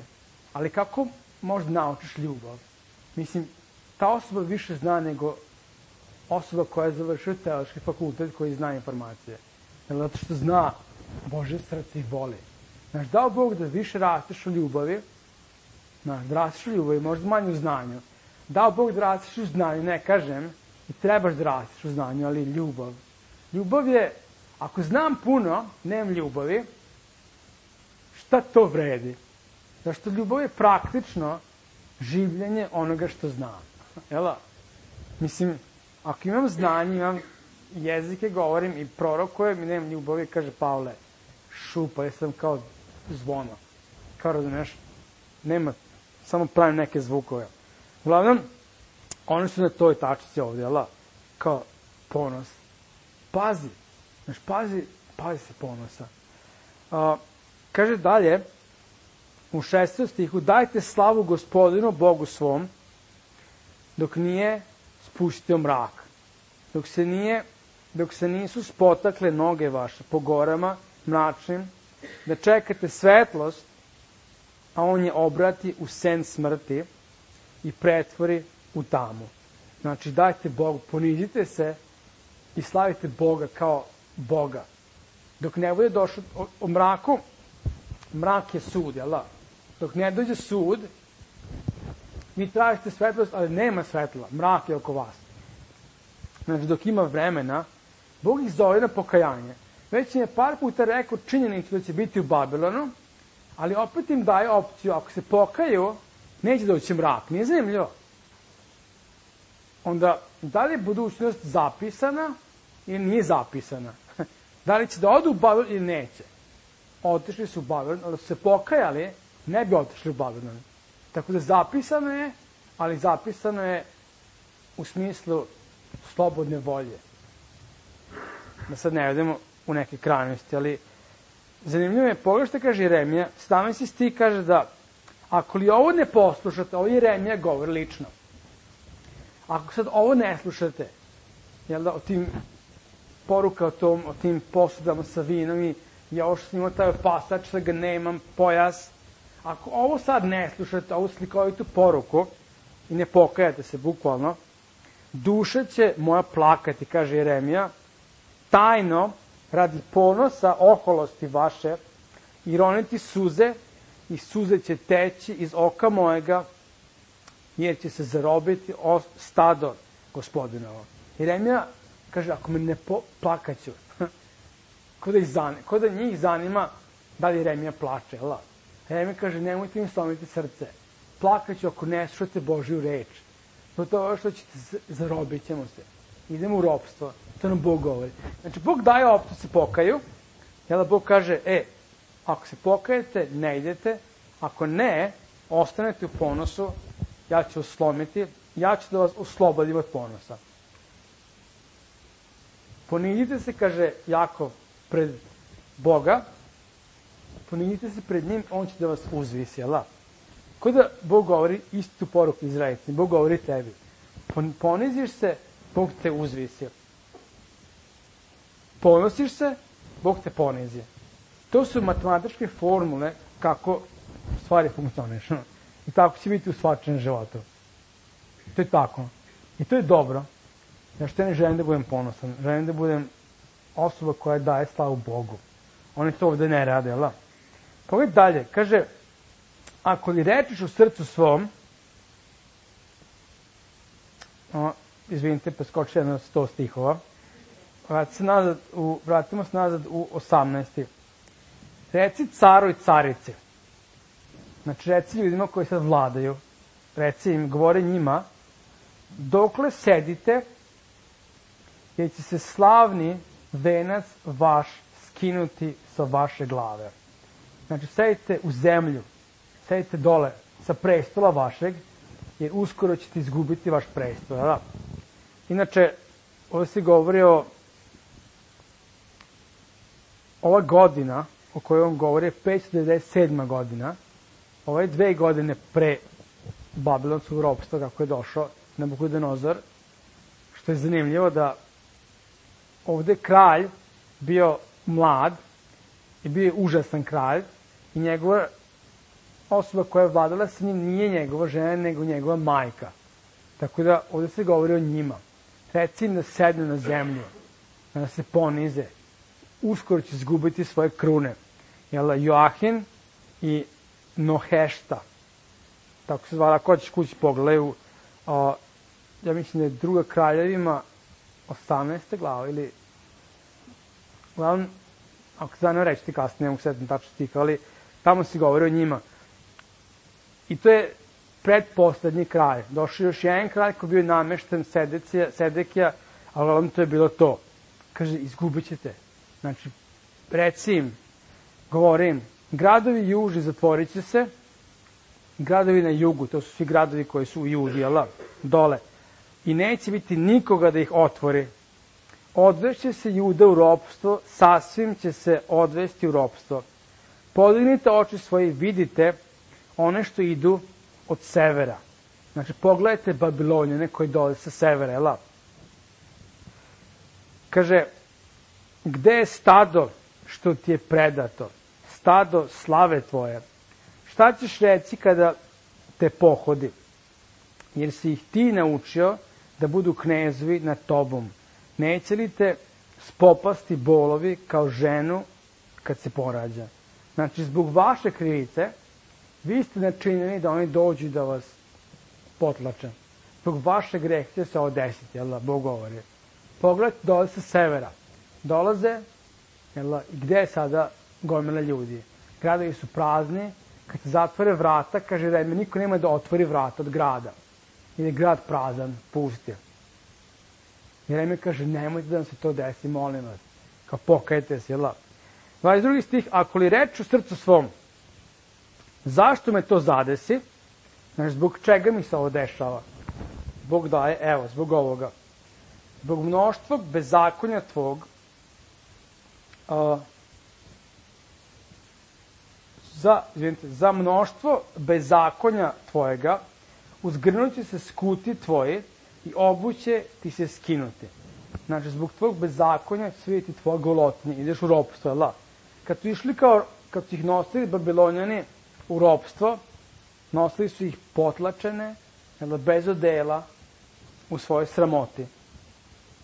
ali kako možda naučiš ljubav? Mislim, ta osoba više zna nego osoba koja je završila teološki fakultet koji zna informacije. Zato što zna Božje srce i voli. Znaš, dao Bog da više rasteš u ljubavi, znaš, da rasteš u ljubavi, možda manje u znanju. Dao Bog da rasteš u znanju, ne kažem, i trebaš da rasteš u znanju, ali ljubav. Ljubav je, ako znam puno, nemam ljubavi, šta to vredi? Zašto ljubav je praktično življenje onoga što znam. Jel' Mislim, ako imam znanje, imam jezike, govorim i prorokujem i nemam ljubavi, kaže Pavle, šupa, ja sam kao zvono. Kao razumeš, nema samo pravim neke zvukove. Uglavnom, oni su na toj tačici ovde, jel? Kao ponos. Pazi, znaš, pazi se ponosa. Kaže dalje, u 6. stihu, dajte slavu Gospodinu, Bogu svom, dok nije spustio mrak, dok se nisu spotakle noge vaše po gorama mračnim, da čekate svetlost, a on je obrati u sen smrti i pretvori u tamu. Znači, dajte Bogu, ponizite se i slavite Boga kao Boga. Dok ne bude došlo o mraku, mrak je sud, jel da? Dok ne dođe sud, vi tražite svetlost, ali nema svetla, mrak je oko vas. Znači, dok ima vremena, Bog ih zove na pokajanje. Već im je par puta rekao činjenicu da će biti u Babilonu, ali opet im daje opciju, ako se pokaju, neće doći mrak. Nije zanimljivo. Onda, da li je budućnost zapisana ili nije zapisana? Da li će da odu u Babilon ili neće? Otišli su u Babilon, ali su se pokajali, ne bi otišli u Babilon. Tako da zapisano je, ali zapisano je u smislu slobodne volje. Da sad ne vedemo u neke krajnosti, ali zanimljivo je, pogledaj što kaže Jeremija, 17. stih kaže da ako li ovo ne poslušate, ovo Jeremija govori lično. Ako sad ovo ne slušate, jel da, o tim poruka o tim posudama sa vinom i ja ovo što sam imao taj opasač, da ga nemam, pojas, ako ovo sad ne slušate, ovu slikovitu poruku i ne pokajate se bukvalno, duša će moja plakati, kaže Jeremija, tajno, radi ponosa, oholosti vaše, i roniti suze, i suze će teći iz oka mojega, jer će se zarobiti stado Gospodinovo. Jeremija kaže, ako me ne plakaću, ko da njih zanima da li Jeremija plače, jel? Jeremija kaže, nemojte im slomiti srce, plakaću ako ne slušate Božju reč, to je što ćete, zarobit ćemo se, idemo u ropstvo, to nam Bog govori. Znači, Bog daje opciju se pokaju, jel? Bog kaže, ako se pokajete, ne idete, ako ne, ostanete u ponosu, ja ću vas slomiti, ja ću da vas oslobodim od ponosa. Ponizite se, kaže Jakov, pred Boga, ponizite se pred njim, on će da vas uzvisi, jel? Ko da Bog govori istu poruku Izraelicima, Bog govori tebi. Poniziš se, Bog te uzvisi. Ponosiš se, Bog te ponizi. To su matematičke formule kako stvari funkcionišu. I tako će biti u svačanom životu. To je tako. I to je dobro. Ja što ne želim da budem ponosan. Želim da budem osoba koja daje slavu Bogu. Oni to ovde ne rade, jel? Pogledaj dalje. Kaže, ako li rečiš u srcu svom, izvinite, preskoči jedno 100 stihova, vratimo se nazad u 18. Reci caru i carici. Znači, reci ljudima koji sad vladaju, reci im, govore njima, dokle sedite, jer će se slavni venac vaš skinuti sa vaše glave. Znači, sedite u zemlju, sedite dole sa prestola vašeg, jer uskoro ćete izgubiti vaš prestol. Da? Inače, ovdje se govori o ova godina o kojoj on govori je 597. godina. Ovo je 2 godine pre babilonskog ropstva kako je došao Nabukodonozor. Što je zanimljivo da ovde kralj bio mlad i bio je užasan kralj i njegova osoba koja je vladala sa njim nije njegova žena, nego njegova majka. Tako da ovde se govori o njima. Reci im da sednu na zemlju, da se ponize. Uskoro će izgubiti svoje krune. Joahin i Nohešta. Tako se zvala, ako ćeš kući pogledaju, ja mislim da je Druga kraljevima 18. glava ili uglavnom, ako se zanim reći ti kasnije, ne mogu sedeti tačno stika, ali tamo se govori o njima. I to je predposlednji kralj. Došao još jedan kralj koji bio namešten Sedekija, ali uglavnom to je bilo to. Kaže, izgubit ćete. Znači, reci im, govorim, gradovi juži zatvorit će se, gradovi na jugu, to su svi gradovi koji su u Judi, dole. I neće biti nikoga da ih otvori. Odvešće se Juda u ropstvo, sasvim će se odvesti u ropstvo. Podignite oči svoje i vidite one što idu od severa. Znači, pogledajte Babilonjane koji dolaze sa severa, Kaže, gde je stado što ti je predato? Stado slave tvoje. Šta ćeš reći kada te pohodi? Jer si ih ti naučio da budu knezovi nad tobom. Neće li te spopasti bolovi kao ženu kad se porađa? Znači, zbog vaše krivice, vi ste načinjeni da oni dođu da vas potlače. Zbog vaše grehe će se ovo desiti, Bog govori. Pogledajte, dolaze sa severa. Dolaze, i gde je sada gomila ljudi? Gradovi su prazni, kad se zatvore vrata, kaže Jeremija, niko nema da otvori vrata od grada. Ili je grad prazan, pusti. Jeremija kaže, nemojte da nam se to desi, molim vas. Kao pokajte se, 22. stih, ako li reč u srcu svom, zašto me to zadesi? Znači, zbog čega mi se ovo dešava? Bog daje, evo, zbog ovoga. Zbog mnoštva bezakonja tvog, za mnoštvo bezakonja tvojega, uzgrnuće se skuti tvoji i obuće ti se skinuti. Znači, zbog tvojeg bezakonja će vidjeti tvoja golotinja, ideš u ropstvo, Kad su išli kad su ih nosili Babilonjani u ropstvo, nosili su ih potlačene, bez odela, u svojoj sramoti.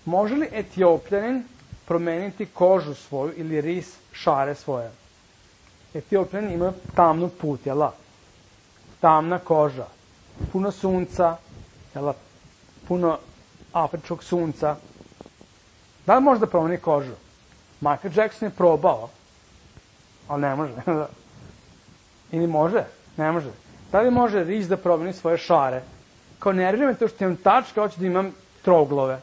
Može li Etiopljanin promeniti kožu svoju ili ris šare svoje? Etiopljanin ima tamnu put, tamna koža, puno sunca, puno afričkog sunca. Da li može da promeni kožu? Michael Jackson je probao, ali ne može. Ili može? Ne može. Da li može ris da promeni svoje šare? Kao nervira me to što imam tačka, hoću da imam troglove.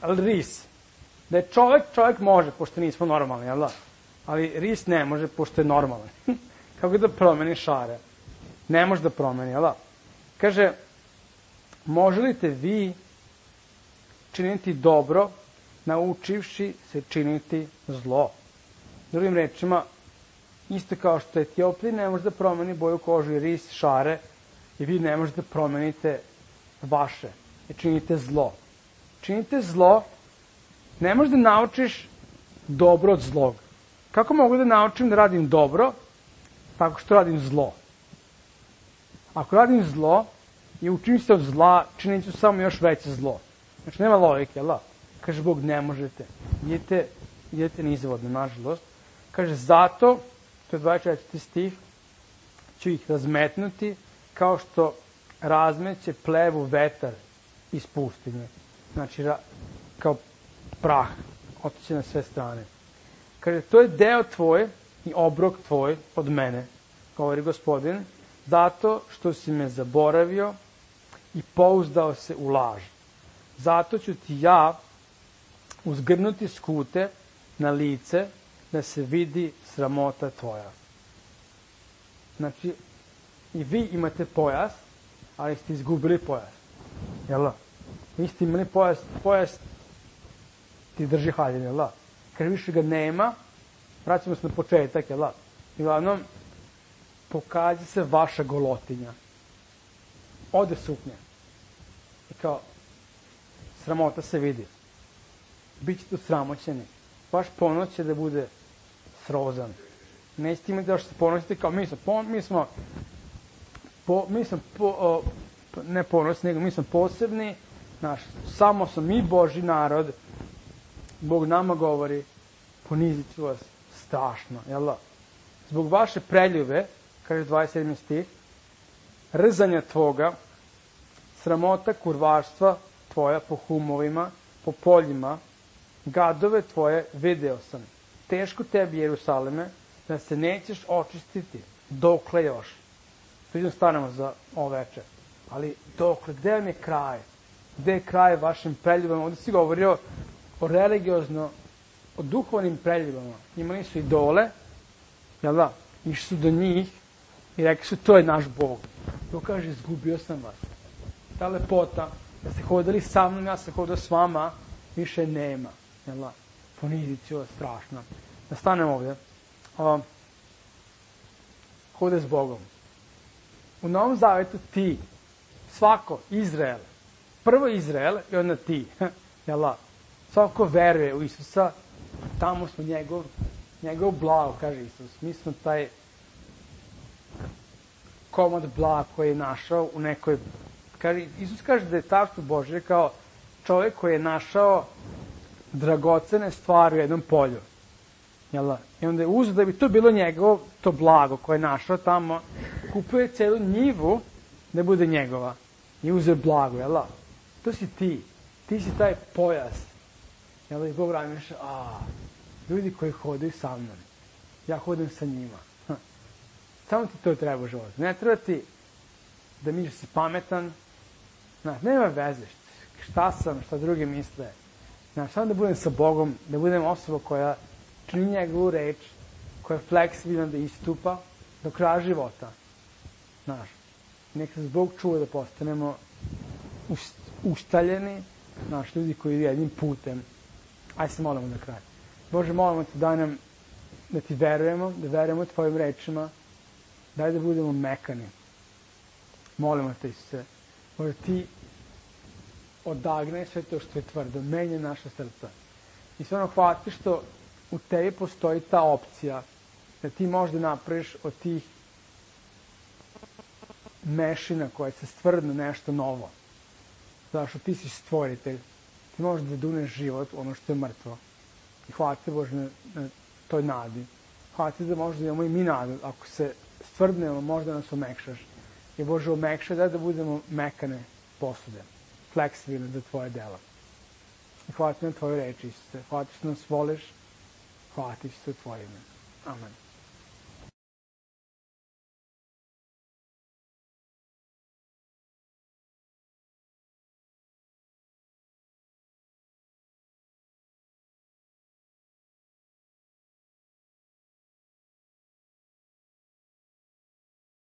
Ali ris. Da je čovjek može, pošto nismo normalni, ali ris ne može, pošto je normalan. Kako da promeni šare? Ne može da promeni, Kaže, može li te vi činiti dobro, naučivši se činiti zlo? Drugim rečima, isto kao što Etiopija ne može da promeni boju kožu i ris, šare, i vi ne možete da promenite vaše. I činite zlo. Činite zlo, ne možeš da naučiš dobro od zlog. Kako mogu da naučim da radim dobro? Tako što radim zlo. Ako radim zlo i učim se od zla, činit ću samo još veće zlo. Znači, nema logike, Kaže Bog, ne možete. Idete nizvodno, nažalost. Kaže, zato, to je 24. stih, ću ih razmetnuti kao što razmeće plevu vetar iz pustinje. Znači, kao prah, otiće na sve strane. Kaže, to je deo tvoj i obrok tvoj od mene, govori Gospodin, zato što si me zaboravio i pouzdao se u laž. Zato ću ti ja uzgrnuti skute na lice da se vidi sramota tvoja. Znači, i vi imate pojas, ali ste izgubili pojas. Jel' vi ste imali pojas ti drži haljine, jel' Kaže, više ga nema, vraćamo se na početak, jel' I uglavnom, pokaže se vaša golotinja. Ode suknja. I kao, sramota se vidi. Bićete usramoćeni. Vaš ponos će da bude srozan. Nećete imati da što se ponosite kao ne ponosni, nego mi smo posebni, samo smo mi Božji narod. Bog nama govori, ponizit ću vas strašno, jel' Zbog vaše preljube, kaže 27. stih, rzanja tvoga, sramota kurvarstva tvoja po humovima, po poljima, gadove tvoje video sam. Teško tebi, Jerusaleme, da se nećeš očistiti. Dokle još? To idemo stanemo za ovo večer. Ali dokle, gde vam je kraj? Gde je kraj vašim preljubama? Ovdje si govorio o religiozno, o duhovnim preljubama. Imali su idole, jel' Išli su do njih, I rekli su, to je naš Bog. To kaže, izgubio sam vas. Ta lepota, da ste hodili sa mnom, ja sam hodao s vama, više nema. Jel? Ponizicija strašna. Da stanem ovdje. Hode s Bogom. U Novom Zavetu ti, svako, Izrael, prvo Izrael i onda ti. Jel? Svako veruje u Isusa, tamo smo njegov blago, kaže Isus. Mi smo taj komad blaga koji je našao u nekoj... Isus kaže da je Carstvo Božje kao čovjek koji je našao dragocene stvari u jednom polju. Jel? I onda je uzeo da bi to bilo njegovo, to blago koje je našao tamo, kupio je celu njivu da bude njegova. I uzeo blago, jel? To si ti. Ti si taj pojas. Jel? I Bog razmišlja, ljudi koji hodaju sa mnom, ja hodim sa njima. Samo ti to treba u životu. Ne treba ti da misliš si pametan. Nema veze šta sam, šta drugi misle. Samo da budem sa Bogom, da budem osoba koja čini njegovu reč, koja je fleksibilna da istupa do kraja života. Nek nas Bog čuva da postanemo ustaljeni, ljudi koji idu jednim putem. Ajde se molimo na kraju. Bože, molimo te da ti verujemo, da verujemo tvojim rečima, daj da budemo mekani. Molimo te, Isuse, Bože, ti odagnaj sve to što je tvrdo, menja naša srca. I sve ono hvati što u tebi postoji ta opcija da ti možda napraviš od tih mešina koje se stvrdno nešto novo. Zato što ti si stvoritelj, ti možeš da duneš život ono što je mrtvo. I hvala te, Bože, na toj nadi. Hvala te da možda imamo i mi nadu. Ako se stvrdnemo, možda nas omekšaš. I Bože, omekšaj da budemo mekane posude, fleksibilne za tvoje dela. I hvala ti na tvoje reči, Isuse. Hvala ti što nas voliš. Hvala ti što je tvoje ime. Amen.